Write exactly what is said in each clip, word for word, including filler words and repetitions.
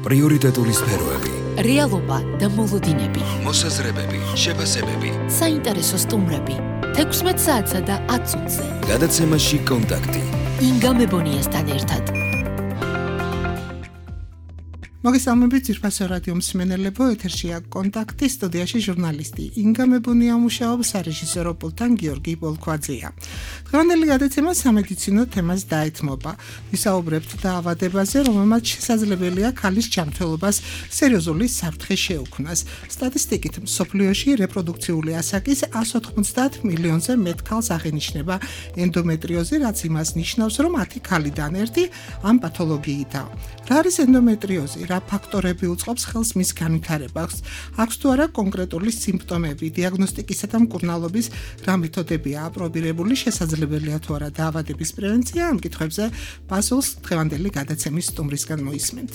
პრიორიტეტული სფეროები, რეალობა და მოლოდინები, მოსაზრებები, შეფასებები, საინტერესო სტუმრები, თექვსმეტ საათსა და ათ წუთზე. გადაცემაში კონტაქტი. ინგა მებონიასთან ერთად. მოგესალმებით ძვირფასო რადიო მსმენელებო, ეთერშია კონტაქტი, სტუდიაში ჟურნალისტი ინგა მებონია მუშაობს, სარეჟისორო პულტთან გიორგი ბოლქვაძეა. დღევანდელი გადაცემა სამედიცინო თემას დაეთმობა. ვისაუბრებთ დაავადებაზე, რომელმაც შესაძლებელია ქალის ჯანმრთელობას სერიოზული საფრთხე შეუქმნას. სტატისტიკით, მსოფლიოში რეპროდუქციული ასაკის εκατს ოთხმოცდაათ მილიონზე მეტ ქალს აღენიშნება ენდომეტრიოზი, რაც იმას ნიშნავს, რომ ათი ქალიდან ერთი ამ პათოლოგიითაა. რა არის ენდომეტრიოზი? რა ფაქტორები უწყობს ხელს მის განვითარებას? აქვს თუ არა კონკრეტული სიმპტომები, დიაგნოსტიკისა და მკურნალობის რა მეთოდებია აპრობირებული, შესაძლებელია თუ არა დაავადების პრევენცია? ამ კითხვებზე პასუხს დღევანდელი გადაცემის სტუმრისგან მოისმენთ.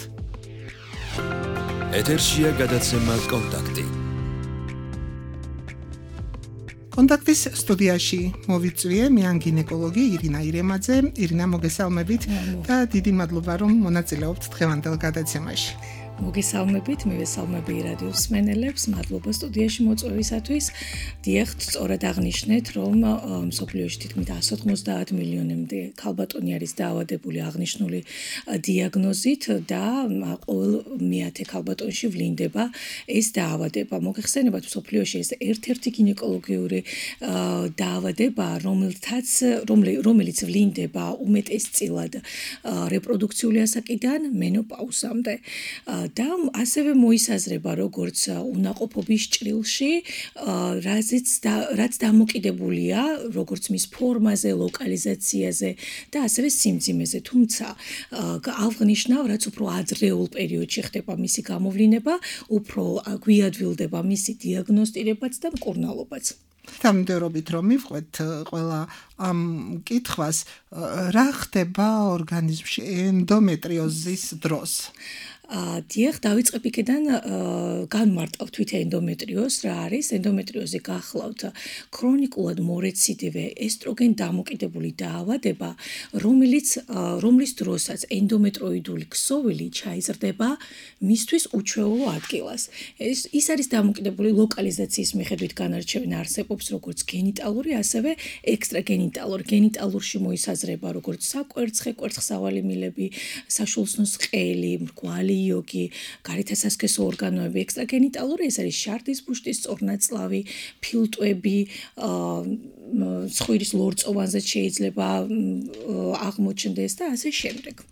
ეთერშია გადაცემა კონტაქტი. კონტაქტის სტუდიაში მოვიწვიე მე ან გინეკოლოგი ირინა ირემაძე. ირინა, მოგესალმებით და დიდი მადლობა რომ მონაწილეობთ დღევანდელ გადაცემაში. მოგესალმებით, მივესალმები რადიო მსმენელებს, მადლობა სტუდიაში მოწვევისათვის. დიახ, სწორად აღნიშნეთ, რომ მსოფლიოში თითქმის εκατს ოთხმოცდაათ მილიონამდე ქალბატონი არის დაავადებული აღნიშნული დიაგნოზით და ყოველ მეათე ქალბატონში ვლინდება ეს დაავადება. მოგეხსენებათ, მსოფლიოში ეს ერთ-ერთი გინეკოლოგიური დაავადებაა, რომელთაც რომელიც ვლინდება უმეტესწილად რეპროდუქციული ასაკიდან მენოპაუზამდე. და ასევე მოისაზრება როგორც უნაყოფობის ჭრილში, რაზეც რაც დამოკიდებულია როგორც მის ფორმაზე, ლოკალიზაციაზე და ასევე სიმძიმეზე. თუმცა აღნიშნავ, რაც უფრო ადრეულ პერიოდში ხდება მისი გამოვლინება, უფრო გვიან ვილდება მისი დიაგნოსტირებაც და მკურნალობაც. თანმიმდევრობით რომ მივყვეთ ყველა ამ კითხვას, რა ხდება ორგანიზმში ენდომეტრიოზის დროს? დიახ, დავიწყებ იქიდან განმარტავთ თვით ენდომეტრიოზს რა არის. ენდომეტრიოზი გახლავთ ქრონიკულად მორეციდივე ესტროგენ დამოკიდებული დაავადება, რომელიც რომლის დროსაც ენდომეტროიდული ქსოვილი ჩაიზრდება მისთვის უჩვეულო ადგილას. ეს ის არის დამოკიდებული ლოკალიზაციის მიხედვით განარჩევენ არსებობს როგორც გენიტალური, ასევე ექსტრაგენიტალური. გენიტალურში მოისაზრება როგორც საკვერცხე, კვერცხსავალი მილები, საშულსნოს ყელი, მრგვალი იოგი, გარეთასასქესო ორგანოები. ექსტრაგენიტალური ეს არის შარდის ბუშტის სწორნაწლავი, ფილტვები, ცხვირის ლორწოვანზეც შეიძლება აღმოჩნდეს და ასე შემდეგ.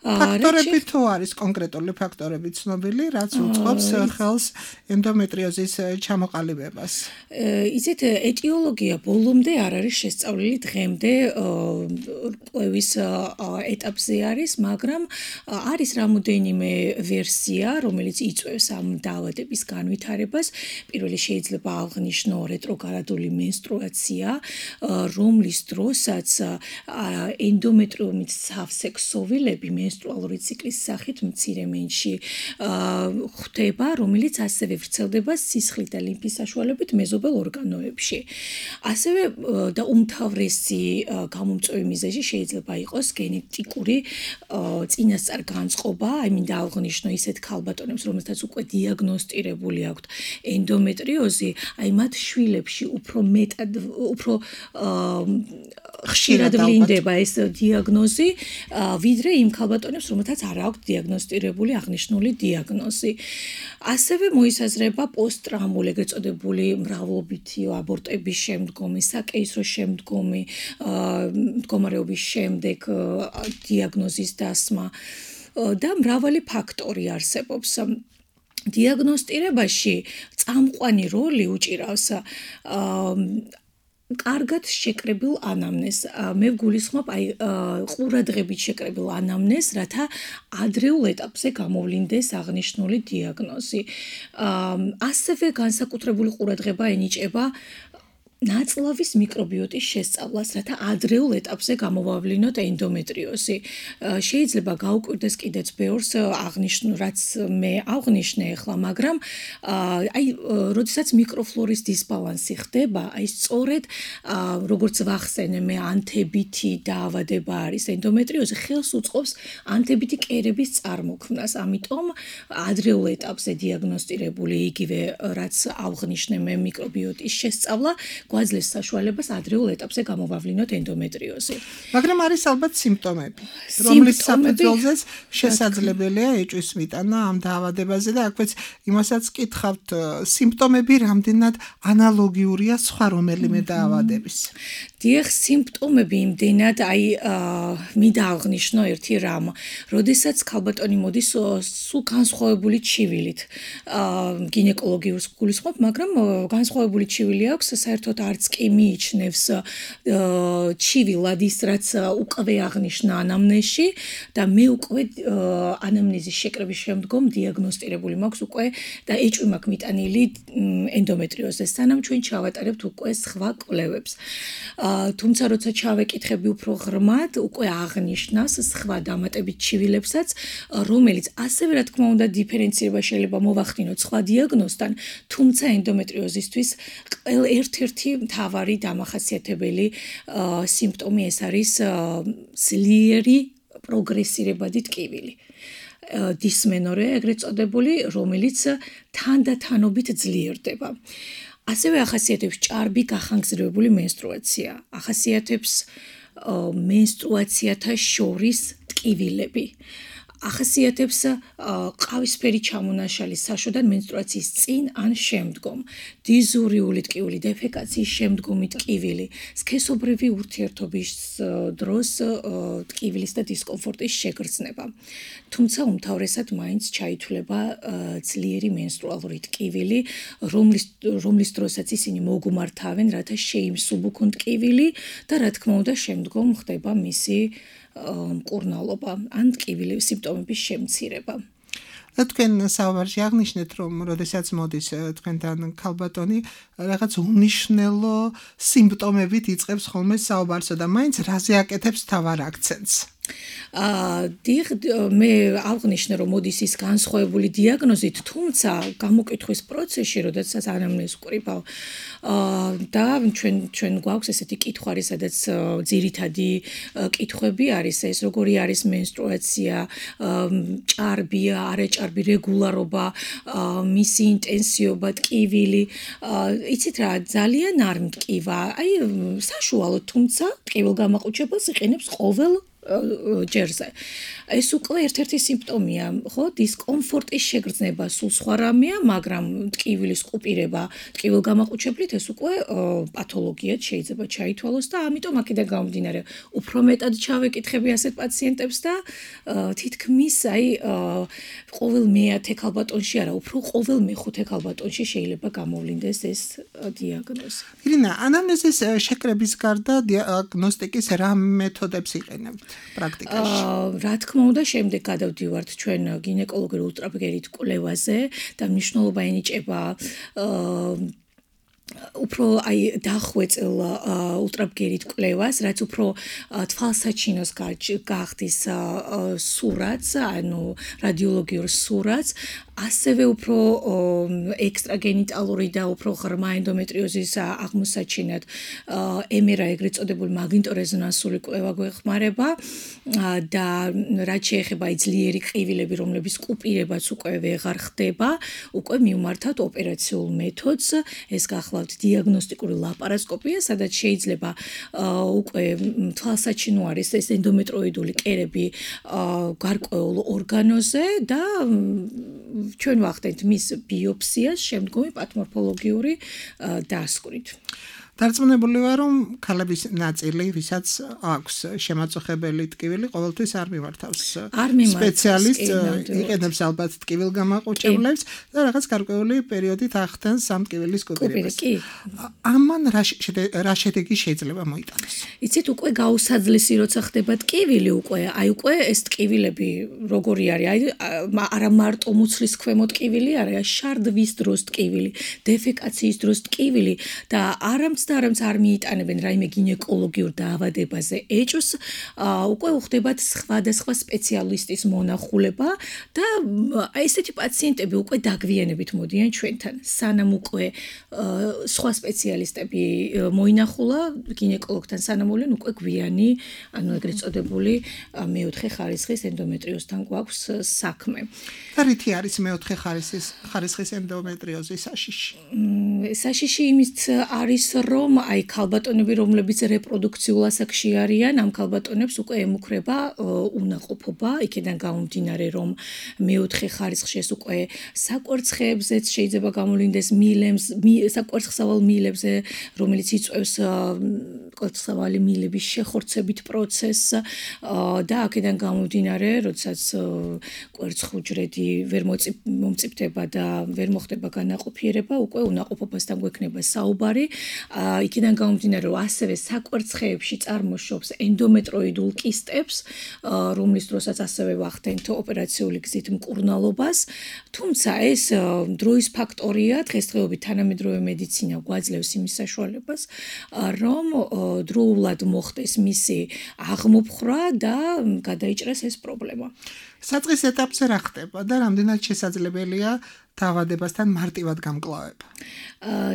ფაქტორები თუ არის კონკრეტული ფაქტორები ცნობილი, რაც უწყობს ხელს ენდომეტრიოზის ჩამოყალიბებას? იცით, ეტიოლოგია ბოლომდე არ არის შესწავლილი, დღემდე კვლევის ეტაპზე არის, მაგრამ არის რამოდენიმე ვერსია, რომელიც იწვევს ამ დაავადების განვითარებას. პირველი შეიძლება აღნიშნო რეტროგრადული მენსტრუაცია, რომლის დროსაც ენდომეტრიუმით სავსე ქსოვილები მენსტრუალური ციკლის სახით მცირე მენში ხდება, რომელიც ასევე ვრცელდება სისხლით და ლიმფის საშუალებით მეზობელ ორგანოებში. ასევე და უმთავრესი გამომწვევი მიზეზი შეიძლება იყოს გენეტიკური წინასწარ განწყობა, აი მინდა აღნიშნო ისეთ ქალბატონებს, რომელთაც უკვე დიაგნოსტირებული აქვთ ენდომეტრიოზი, აი მათ შვილებში უფრო მეტად უფრო ხშირად ვლინდება ეს დიაგნოზი, ვიდრე იმ ქალბატონებს, რომელთაც არ აქვთ დიაგნოსტირებული აღნიშნული დიაგნოზი. ასევე მოისაზრება პოსტტრაუმული, ეგრეთ წოდებული მრავლობითი აბორტების შემდგომი, საკეისრო შემდგომი მდგომარეობის შემდეგ დიაგნოზის დასმა და მრავალი ფაქტორი არსებობს. დიაგნოსტირებაში წამყვანი როლი უჭირავს კარგად შეკრებილ ანამნეზს. მე ვგულისხმობ აი ყურადღებით შეკრებილ ანამნეზს, რათა ადრეულ ეტაპზე გამოვლინდეს აღნიშნული დიაგნოზი. ასევე განსაკუთრებული ყურადღება ენიჭება ნაწლავის მიკრობიოტის შესწავლას, რათა ადრეულ ეტაპზე გამოვავლინოთ ენდომეტრიოზი. შეიძლება გაუკვირდეს კიდეც ბევრს აღნიშნულ, რაც მე აღნიშნე ახლა, მაგრამ აი, როდესაც მიკროფლორის დისბალანსი ხდება, აი სწორედ როგორც ვახსენე მე ანთებითი დაავადება არის ენდომეტრიოზი, ხელს უწყობს ანთებითი კერების წარმოქმნას. ამიტომ ადრეულ ეტაპზე დიაგნოსტირებული იგივე რაც აღნიშნე მე მიკრობიოტის შესწავლა გვაძლევს საშუალებას ადრეულ ეტაპზე გამოვავლინოთ ენდომეტრიოზი. მაგრამ არის ალბათ სიმპტომები, რომლის საფუძველზეც შესაძლებელია ეჭვის მიტანა ამ დაავადებაზე და აქვეც იმასაც კითხავთ, სიმპტომები რამდენად ანალოგიურია სხვა რომელიმე დაავადების. დიახ, სიმპტომები იმდენად, აი, მინდა აღნიშნო ერთი რამ, როდესაც ქალბატონი მოდის სულ განსხვავებული ჩივილით, გინეკოლოგიურს გულისხმობ, მაგრამ განსხვავებული ჩივილი აქვს, საერთოდ არც კი მიიჩნევს ჩივილად ის, რაც უკვე აღნიშნა ანამნეზში და მე უკვე ანამნეზის შეკრების შემდგომ დიაგნოსტირებული მაქვს უკვე და ეჭვი მაქვს მიტანილი ენდომეტრიოზზე, სანამ ჩვენ ჩავატარებთ უკვე სხვა კვლევებს. თუმცა როცა ჩავეკითხები უფრო ღრმად, უკვე აღნიშნავს სხვა დამატებით ჩივილებსაც, რომელიც ასევე რა თქმა უნდა დიფერენცირება შეიძლება მოვახდინოთ სხვა დიაგნოზთან, თუმცა ენდომეტრიოზისთვის ერთ-ერთი მთავარი დამახასიათებელი სიმპტომი ეს არის ძლიერი პროგრესირებადი ტკივილი. დისმენორეა ეგრეთ წოდებული, რომელიც თანდათანობით ძლიერდება. ასევე ახასიათებს ჭარბი გახანგრძლივებული მენსტრუაცია, ახასიათებს მენსტრუაციათა შორის ტკივილები. ახასიათებს ყავისფერი ჩამონაშალი საშოდან მენსტრუაციის წინ ან შემდგომ, დიზურიული ტკივილი, დეფეკაციის შემდგომი ტკივილი, სქესობრივი ურთიერთობის დროს ტკივილის და დისკომფორტის შეგრძნება. თუმცა უმთავრესად მაინც ჩაითვლება ძლიერი მენსტრუალური ტკივილი, რომლის რომლის დროსაც ისინი მოგუმართავენ, რათა შეიმსუბუქონ ტკივილი და რა თქმა უნდა შემდგომ ხდება მისი მკურნალობა ან ტკივილების სიმპტომების შემცირება. და თქვენ საუბარში აღნიშნეთ, რომ როდესაც მოდის თქვენთან ქალბატონი, რაღაც უნიშნელო სიმპტომებით იწყებს ხოლმე საუბარსო და მაინც რაზე აკეთებს თავარ აქცენტს. დიახ, მე აღნიშნე, რომ მოდის ის განსხვავებული დიაგნოზით, თუმცა გამოკითხვის პროცესში, როდესაც ანამნეზს ვკრიბავ და ჩვენ ჩვენ გვაქვს ესეთი კითხვარი, სადაც ძირითადი კითხვები არის ეს, როგორი არის მენსტრუაცია, ჭარბია, არაჭარბი რეგულარობა, მისი ინტენსიობა, ტკივილი. იცით რა, ძალიან არ მტკივა, აი საშუალო, თუმცა ტკივილგამაყუჩებელს იყენებს ყოველ ჯერზე. ეს უკვე ერთ-ერთი სიმპტომია, ხო? დისკომფორტის შეგრძნება სულ სხვა რამეა, მაგრამ ტკივილის ყუპირება ტკივილგამაყუჩებლით ეს უკვე პათოლოგიად შეიძლება ჩაითვალოს და ამიტომ აქედან გამომდინარე, უფრო მეტად ჩავეკითხები ასეთ პაციენტებს და თითქმის აი ყოველ მეათე ქალბატონში არა, უფრო ყოველ მეხუთე ქალბატონში შეიძლება გამოვლინდეს ეს დიაგნოზი. ირინა, ანამნეზის შეკრების გარდა დიაგნოსტიკის რა მეთოდებს იყენებთ პრაქტიკაში? რა თქმა უნდა, შემდეგ გადავდივართ ჩვენ გინეკოლოგიურ ულტრაბგერით კვლევაზე და მნიშვნელობა ენიჭება უფრო აი დახვეწილ ულტრაბგერით კვლევას, რაც უფრო თვალსაჩინოს გახდის სურათს, ანუ რადიოლოგიურ სურათს, ასევე უფრო ექსტრაგენიტალური და უფრო ღრმა ენდომეტრიოზის აღმოსაჩინად ემ ერ აი ეგრეთ წოდებული მაგნიტორეზონანსული კვლევა გვეხმარება და რაც შეეხება ძლიერი ყივილები, რომლების კუპირებაც უკვე ვეღარ ხდება, უკვე მივმართავთ ოპერაციულ მეთოდს, ეს გახლავთ დიაგნოსტიკური ლაპარასკოპია, სადაც შეიძლება უკვე თვალსაჩინო არის ეს ენდომეტროიდული კერები გარკვეულ ორგანოზე და ჩვენ ვახდენთ მის ბიოპსიას შემდგომი პათომორფოლოგიური დასკვნით. დარწმუნებული ვარ, რომ ქალების ნაწილი, ვისაც აქვს შემაწუხებელი ტკივილი, ყოველთვის არ მიმართავს სპეციალისტს, იყენებს ალბათ ტკივილგამაყუჩებლებს და რაღაც გარკვეული პერიოდით ახდენს ამ ტკივილის კუპირებას. ამან რა შედეგი შეიძლება მოიტანოს? იცით, უკვე გაუსაძლისი როცა ხდება ტკივილი, უკვე აი უკვე ეს ტკივილები როგორი არის, აი არა მარტო მუცლის ქვემო ტკივილი არის, შარდვის დროს ტკივილი, დეფეკაციის დროს ტკივილი და არამც და არამც არ მიიტანებენ რაიმე გინეკოლოგიურ დაავადებაზე ეჭვს, უკვე უხდებათ სხვადასხვა სპეციალისტის მონახულება და აი ესეთი პაციენტები უკვე დაგვიანებით მოდიან ჩვენთან. სანამ უკვე სხვა სპეციალისტები მოინახულა გინეკოლოგთან სანამ მოვიდნენ უკვე გვიანი, ანუ ეგრეთ წოდებული მეოთხე ხარისხის ენდომეტრიოზთან გვაქვს საქმე. და რითი არის მეოთხე ხარისხის ხარისხის ენდომეტრიოზის საშიში? საშიში იმით არის, რომ აი ქალბატონები, რომლებიც რეპროდუქციულ ასაკში არიან, ამ ქალბატონებს უკვე ემუქრება უნაყოფობა, იქიდან გამომდინარე, რომ მეოთხე ხარისხში ეს უკვე საკვერცხეებზეც შეიძლება გამოვლინდეს მილემს, საკვერცხსავალ მილებზე, რომელიც იწვევს კვერცხსავალი მილების შეხორცებით პროცესს და აქედან გამომდინარე, როდესაც კვერცხუჯრედი ვერ მომწიფდება და ვერ მოხდება განაყოფიერება, უკვე უნაყოფობასთან გვექნება საუბარი. იქიდან გამომდინარე, რომ ასევე საკვერცხეებში წარმოშობს ენდომეტროიდულ კისტებს, რომლის დროსაც ასევე ვახდენთ ოპერაციული გზით მკურნალობას. თუმცა ეს დროის ფაქტორია, დღესდღეობით თანამედროვე მედიცინა გვაძლევს იმის საშუალებას, რომ დროულად მოხდეს მისი აღმოფხვრა და გადაიჭრას ეს პრობლემა. საწყის ეტაპზე რა ხდება და რამდენად შესაძლებელია დაავადებასთან მარტივად გამკლავება?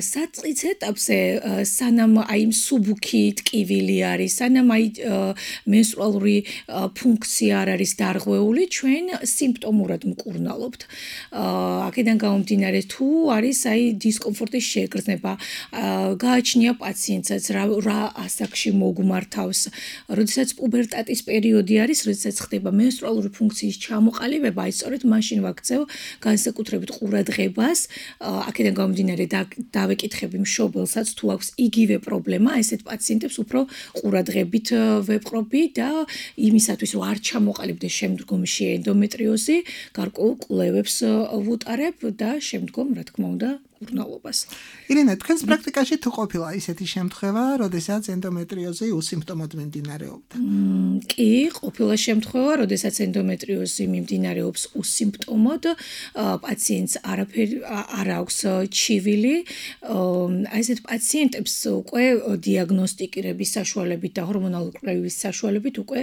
საწყის ეტაპზე სანამ აი მსუბუქი ტკივილი არის, სანამ აი მენსტრუალური ფუნქცია არ არის დარღვეული, ჩვენ სიმპტომურად მკურნალობთ. აქედან გამომდინარე, თუ არის აი დისკომფორტის შეგრძნება, გააჩნია პაციენტსაც რა ასაკში მოგმართავს, როდესაც პუბერტატის პერიოდი არის, როდესაც ხდება მენსტრუალური ფუნქციის ჩამოყალიბება, აი სწორედ მაშინ ვაქცევ განსაკუთრებით ყურადღებას, აქედან გამომდინარე დავეკითხები მშობელსაც თუ აქვს იგივე პრობლემა, ესეთ პაციენტებს უფრო ყურადღებით ვეპყრობი და იმისათვის რომ არ ჩამოყალიბდეს შემდგომში ენდომეტრიოზი, გარკვეულ კვლევებს ვუტარებ და შემდგომ რა თქმა უნდა მკურნალობას. ირინე, თქვენს პრაქტიკაში თუ ყოფილა ისეთი შემთხვევა, როდესაც ენდომეტრიოზი ussymptomოდ მიმდინარეობდა? კი, ყოფილა შემთხვევა, როდესაც ენდომეტრიოზი მიმდინარეობს ussymptomოდ, პაციენტს არაფერი არ აქვს ჩივილი. აი ესეთ პაციენტებს უკვე დიაგნოსტირების საშუალებით და ჰორმონალური კვლევის საშუალებით უკვე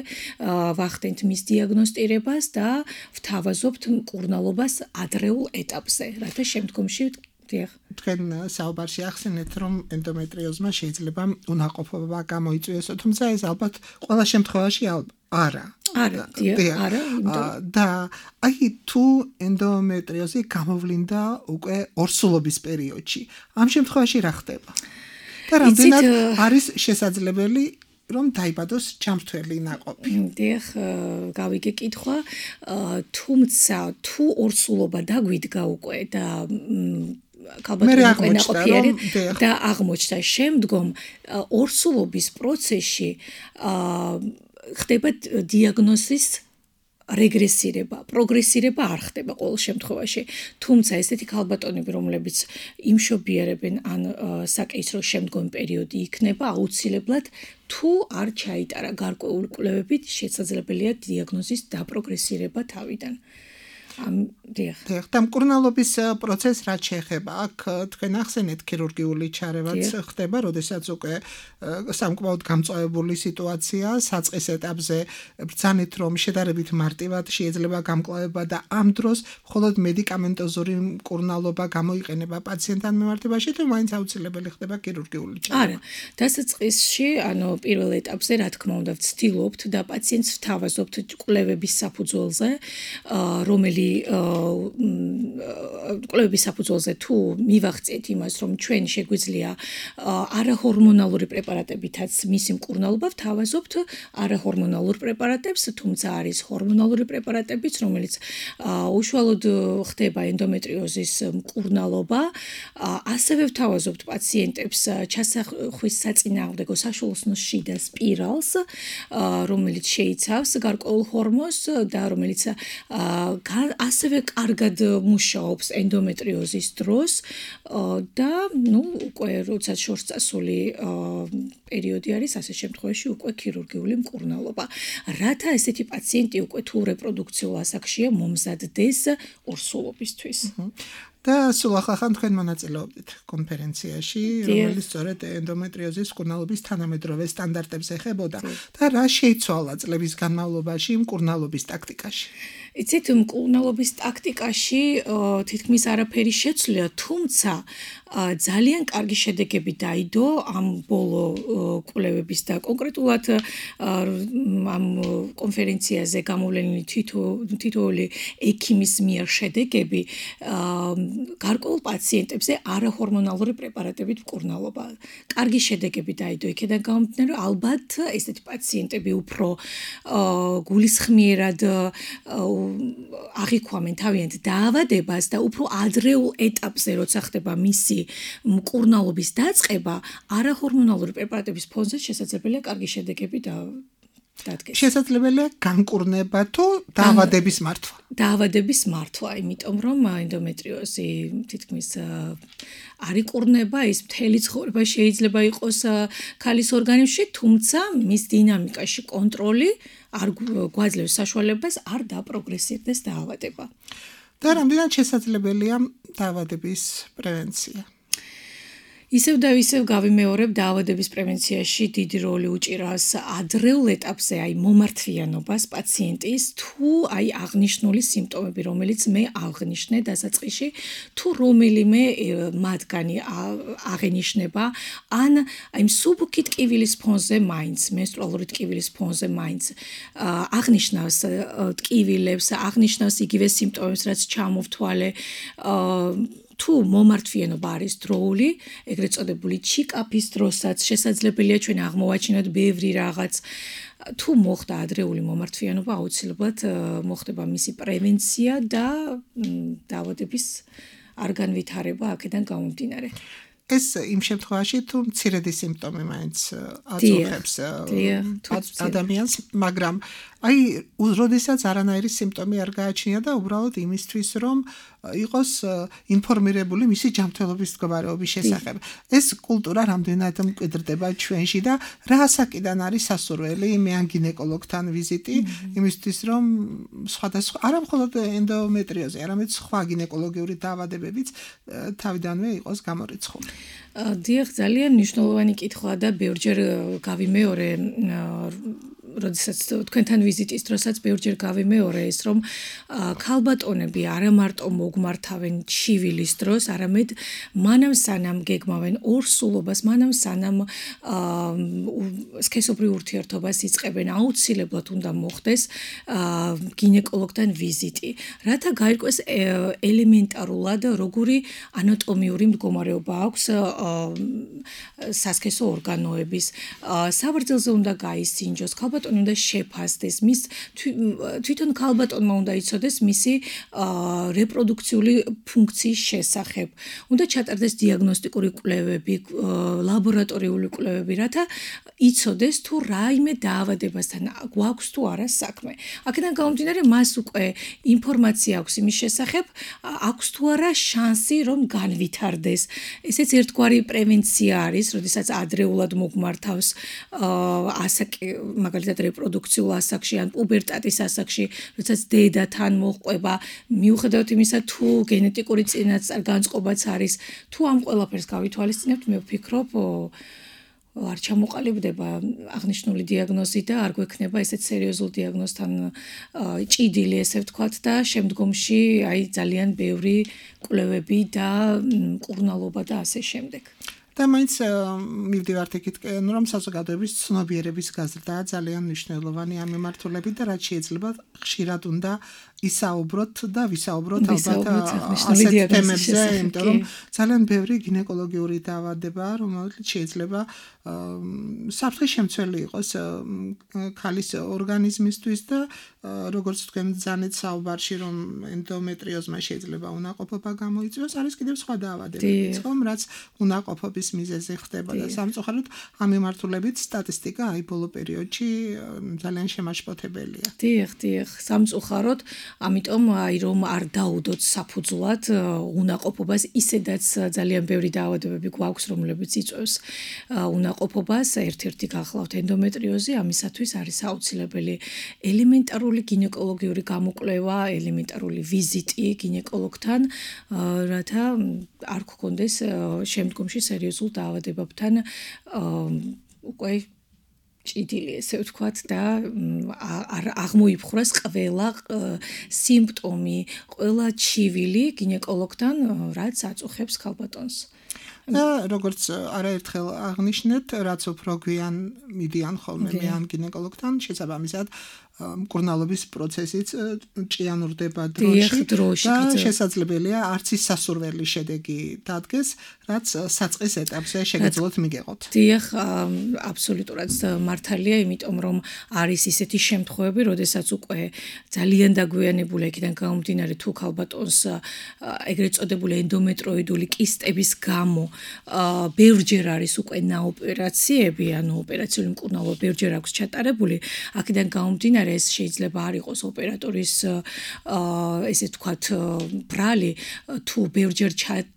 ვახდენთ მის დიაგნოსტირებას და ვთავაზობთ მკურნალობას ადრეულ ეტაპზე, რათა შემდგომში თქვენ საუბარში ახსენეთ, რომ ენდომეტრიოზმა შეიძლება უნაყოფობა გამოიწვიოს, თუმცა ეს ალბათ ყველა შემთხვევაში არა. არა, არა. და აი თუ ენდომეტრიოზი გამოვლინდა უკვე ორსულობის პერიოდში, ამ შემთხვევაში რა ხდება? და რამდენად არის შესაძლებელი რომ დაიბადოს ჩამთვლელი ნაყოფი? დიახ, გავიგე კითხვა, თუმცა თუ ორსულობა დაგვიდგა უკვე და ქალბატონი ნაყოფიერი და აღმოჩნდა შემდგომ ორსულობის პროცესში ხდება დიაგნოზის რეგრესირება, პროგრესირება არ ხდება ყოველ შემთხვევაში. თუმცა ესეთი ქალბატონები, რომლებიც იმშობიარებენ ან საკეისრო შემდგომი პერიოდი იქნება, აუცილებლად თუ არ ჩაიტარა გარკვეული კვლევებით, შესაძლებელია დიაგნოზის დაპროგრესირება თავიდან. დიახ. და მკურნალობის პროცესს რაც შეეხება, აქ თქვენ ახსენეთ ქირურგიული ჩარევაც ხდება, როდესაც უკვე სამკმაოდ გამწვავებული სიტუაცია, საწყის ეტაპზე ბრძანეთ, რომ შედარებით მარტივად შეიძლება გამკლავება და ამ დროს მხოლოდ მედიკამენტოზური მკურნალობა გამოიყენება პაციენტთან მიმართებაში, თუ მაინც აუცილებელი ხდება ქირურგიული ჩარევა? არა, დასაწყისში, ანუ პირველ ეტაპზე რა თქმა უნდა ვცდილობთ და პაციენტს ვთავაზობთ კვლევების საფუძველზე, რომელი კვლევების საფუძველზე თუ მივახციეთ იმას, რომ ჩვენ შეგვიძლია არაჰორმონალური პრეპარატებითაც მისი მკურნალობა ვთავაზობთ არაჰორმონალურ პრეპარატებს, თუმცა არის ჰორმონალური პრეპარატებიც, რომელიც უშუალოდ ხდება ენდომეტრიოზის მკურნალობა. ასევე ვთავაზობთ პაციენტებს ჩასახვის საწინააღმდეგო საშუალოსნოს შიდა სპირალს, რომელიც შეიცავს გარკვეულ ჰორმონს და რომელიც ასევე კარგად მუშაობს ენდომეტრიოზის დროს და ნუ უკვე როდესაც შორს წასული პერიოდი არის, ასე შემთხვევაში უკვე ქირურგიული მკურნალობა. რათა ესეთი პაციენტი უკვე თუ რეპროდუქციულ ასაკშია მომზადდეს ორსულობისთვის. და სულ ახალ თქვენ მონაწილეობთ კონფერენციაში, რომელიც სწორედ ენდომეტრიოზის მკურნალობის თანამედროვე სტანდარტებს ეხებოდა და რა შეიცვალა წლების განმავლობაში მკურნალობის ტაქტიკაში? იცით, მკურნალობის ტაქტიკაში თითქმის არაფერი შეცვლია, თუმცა ძალიან კარგი შედეგები დაიდო ამ ბოლო კვლევების და კონკრეტულად ამ კონფერენციაზე გამოვლენილი თითოეული ექიმის მიერ შედეგები გარკვეულ პაციენტებზე არაჰორმონალური პრეპარატებით მკურნალობა. კარგი შედეგები დაიდო იქედან გამომდინარე, ალბათ ესეთი პაციენტები უფრო გულისხმიერად აღიქვამენ თავიანთ დაავადებას და უფრო ადრეულ ეტაპზე, როცა ხდება მისი მკურნალობის დაწყება, არაჰორმონალური პრეპარატების ფონზე შესაძლებელია კარგი შედეგები და დადგეს. შესაძლებელია განკურნება თუ დაავადების მართვა? დაავადების მართვა, იმიტომ რომ ენდომეტრიოზი თითქმის არ იკურნება, ის მთელი ცხოვრება შეიძლება იყოს ქალის ორგანიზმში, თუმცა მის დინამიკაში კონტროლი არ გვაძლევს საშუალებას არ დაპროგრესირდეს დაავადება. და რამდენად შესაძლებელია დაავადების პრევენცია? ისევ და ისევ გავიმეორებ, დაავადების პრევენციაში დიდი როლი უჭირავს ადრეულ ეტაპზე, აი მომართვიანობას პაციენტის, თუ აი აღნიშნული სიმპტომები, რომელიც მე აღნიშნე დასაწყისში, თუ რომელიმე მათგანი აღენიშნება, ან აი მსუბუქი ტკივილის ფონზე მაინც, მენსტრუალური ტკივილის ფონზე მაინც აღნიშნავს ტკივილებს, აღნიშნავს იგივე სიმპტომებს, რაც ჩამოვთვალე, თუ მომართვიანობა არის დროული, ეგრეთ წოდებული ჩიკაპის დროსაც შესაძლებელია ჩვენ აღმოვაჩინოთ ბევრი რაღაც. თუ მოხდა ადრეული მომართვიანობა, აუცილებლად მოხდება მისი პრევენცია და დაავადების არ განვითარება აქედან გამომდინარე. ეს იმ შემთხვევაში თუ მცირედი სიმპტომი მაინც აწუხებს ადამიანს, მაგრამ აი როდესაც არანაირი სიმპტომი არ გააჩნია და უბრალოდ იმისთვის რომ იყოს ინფორმირებული მისი ჯანმრთელობის მდგომარეობის შესახებ. ეს კულტურა რამდენად მკვიდრდება ჩვენში და რა ასაკიდან არის სასურველი მე ან გინეკოლოგთან ვიზიტი იმისთვის რომ სხვადასხვა არა მხოლოდ ენდომეტრიოზი, არამედ სხვა გინეკოლოგიური დაავადებებიც თავიდანვე იყოს გამორიცხული. დიახ, ძალიან მნიშვნელოვანი კითხვა და ბევრჯერ გავიმეორე როდესაც თქვენთან ვიზიტის დროსაც ბევრჯერ გავიმეორე ეს რომ ქალბატონები არა მარტო მოგმართავენ ჩივილის დროს, არამედ მანამ სანამ გეგმავენ ორსულობას, მანამ სანამ სქესობრივ ურთიერთობას იწყებენ, აუცილებლად უნდა მოხდეს გინეკოლოგთან ვიზიტი, რათა გაირკვეს ელემენტარულად როგორი ანატომიური მდგომარეობა აქვს სასქესო ორგანოების, საბრძელზე უნდა გაისინჯოს, ქალბატონი უნდა შეფასდეს, მის თვითონ ქალბატონმა უნდა იცოდეს მისი რეპროდუქციული ფუნქციის შესახებ. უნდა ჩატარდეს დიაგნოსტიკური კვლევები, ლაბორატორიული კვლევები, რათა იცოდეს თუ რაიმე დაავადებასთან გვაქვს თუ არა საქმე. აქედან გამომდინარე, მას უკვე ინფორმაცია აქვს იმის შესახებ, აქვს თუ არა შანსი რომ განვითარდეს. ესეც ერთგვარი პრევენცია არის, როდესაც ადრეულად მოგმართავს ასაკი, მაგალითად რეპროდუქციულ ასაკში ან პუბერტატის ასაკში, როდესაც დედათან მოჰყვება, მიუხედავად იმისა, თუ გენეტიკური წინასწარ-განწყობაც არის, თუ ამ ყველაფერს გავითვალისწინებთ, მე ვფიქრობ, არ ჩამოყალიბდება აღნიშნული დიაგნოზი და არ გვექნება ესეთ სერიოზულ დიაგნოზთან ჭიდილი, ესე ვთქვათ და შემდგომში აი ძალიან ბევრი კვლევები და მკურნალობა და ასე შემდეგ. და მაინც მივდივართ იქით, რომ საზოგადოების ცნობიერების გაზრდა ძალიან მნიშვნელოვანი ამ მიმართულებით და რაც შეიძლება ხშირად უნდა ისაუბროთ და ვისაუბროთ ალბათ ასეთ თემებზე, იმიტომ რომ ძალიან ბევრი გინეკოლოგიური დაავადება, რომელიც შეიძლება საფრთხის შემცველი იყოს ქალის ორგანიზმისთვის და როგორც თქვენ ძანეთ საუბარში, რომ ენდომეტრიოზმა შეიძლება უნაყოფობა გამოიწვიოს, არის კიდევ სხვა დაავადებებიც, ხომ, რაც უნაყოფობის მიზეზი ხდება და სამწუხაროდ ამ მიმართულებით სტატისტიკა აი ბოლო პერიოდში ძალიან შემაშფოთებელია. დიახ, დიახ, სამწუხაროდ, ამიტომ აი რომ არ დაუდოთ საფუძვლად უნაყოფობას, ისედაც ძალიან ბევრი დაავადებები გვაქვს, რომლებიც იწვევს უნაყოფობას უზრუნველყოფობას ერთ-ერთი გახლავთ ენდომეტრიოზი, ამისათვის არის აუცილებელი ელემენტარული გინეკოლოგიური გამოკვლევა, ელემენტარული ვიზიტი გინეკოლოგთან, რათა არ გქონდეს შემდგომში სერიოზულ დაავადებებთან უკვე ჭიდილი ესე ვთქვათ და აღმოიფხვრას ყველა სიმპტომი, ყველა ჩივილი გინეკოლოგთან, რაც აწუხებს ქალბატონს. და როგორც არაერთხელ აღნიშნეთ, რაც უფრო გვიან მიდიან ხოლმე მე ამ გინეკოლოგთან, შესაბამისად მკურნალობის პროცესიც ჭიანურდება დროში და შესაძლებელია არც ის სასურველი შედეგი დადგეს, რაც საწყის ეტაპზე შეგეძლოთ მიგეღოთ. დიახ, აბსოლუტურად მართალია, იმიტომ რომ არის ისეთი შემთხვევები, როდესაც უკვე ძალიან დაგვიანებული იქიდან გამომდინარე თუ ქალბატონს ეგრეთ წოდებული ენდომეტროიდული კისტების გამო ბევრჯერ არის უკვე ნაოპერაციები, ანუ ოპერაციული მკურნალობა ბევრჯერ აქვს ჩატარებული, აქედან გამომდინარე ეს შეიძლება არ იყოს ოპერატორის ესე ვთქვათ ბრალი თუ ბევრჯერ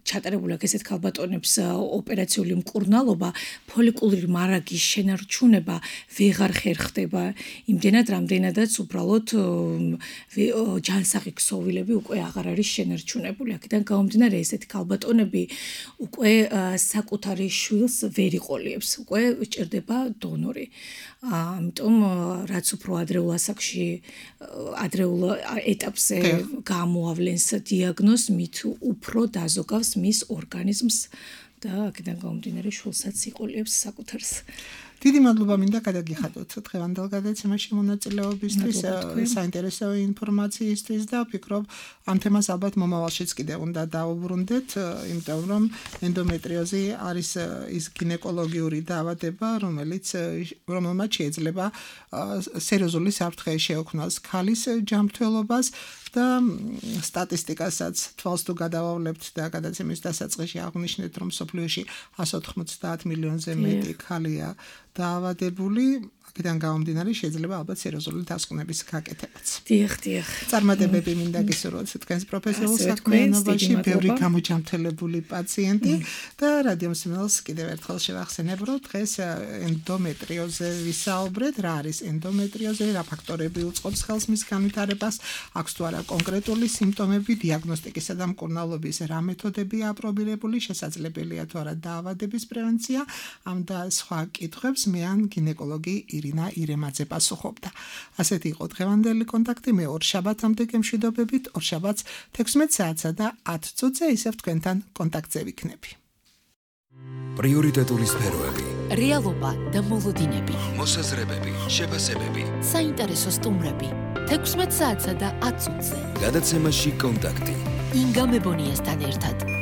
ჩატარებული აქვს ესეთ ქალბატონებს ოპერაციული მკურნალობა, ფოლიკულური მარაგის შენარჩუნება ვეღარ ხერხდება იმდენად რამდენადაც უბრალოდ ჯანსაღი ქსოვილები უკვე აღარ არის შენარჩუნებული. აქედან გამომდინარე ესეთი ქალბატონები უკვე საკუთარი შვილს ვერ იყოლიებს, უკვე ჭირდება დონორი. ამიტომ რაც უფრო ადრეულ ასაკში ადრეულ ეტაპზე გამოავლენს დიაგნოზს, მით უფრო დაზოგავს მის ორგანიზმს და აქედან გამომდინარე შვილსაც იყოლიებს საკუთარს. დიდი მადლობა მინდა გადაგიხადოთ დღევანდელ გადაცემაში მონაწილეობისთვის, საინტერესო ინფორმაციისთვის და ვფიქრობ ამ თემას ალბათ მომავალშიც კიდევ უნდა დავუბრუნდეთ, იმიტომ რომ ენდომეტრიოზი არის ის გინეკოლოგიური დაავადება, რომელიც რომელმაც შეიძლება სერიოზული საფრთხე შეექმნას ქალის ჯანმრთელობას და სტატისტიკასაც თვალს თუ გადავავლებთ და გადაცემის დასაწყისში აღვნიშნეთ, რომ სოფლიოში εκατს ოთხმოცდაათ მილიონზე მეტი ქალია დაავადებული, აქედან გამომდინარე შეიძლება ალბათ სერიოზული დასკვნების გაკეთებაც. დიახ, დიახ. წარმატებები მინდა გისურვოთ თქვენს პროფესიულ საქმიანობაში, ბევრი გამოჯანმრთელებული პაციენტი და რადიო მსმენელს კიდევ ერთხელ შევახსენებ, რომ დღეს ენდომეტრიოზზე ვისაუბრეთ, რა არის ენდომეტრიოზი, რა ფაქტორები უწყობს ხელს მის განვითარებას, აქვს თუ არა კონკრეტული სიმპტომები, დიაგნოსტიკისა და მკურნალობის რა მეთოდებია აპრობირებული, შესაძლებელია თუ არა დაავადების პრევენცია, ამ და სხვა კითხვებს მე ან გინეკოლოგი ირინა ირემაძე პასუხობდა. ასეთი იყო დღევანდელი კონტაქტი, მე ორ შაბათამდე გემშვიდობებით, ორ შაბათს თექვსმეტ საათსა და ათ წუთზე ისევ თქვენთან კონტაქტზე ვიქნები. პრიორიტეტული სფეროები, რეალობა და მოლოდინები, მოსაზრებები, შეფასებები, საინტერესო სტუმრები, თექვსმეტ საათსა და ათ წუთზე. გადაცემაში კონტაქტი. ინგა მებონიასთან ერთად.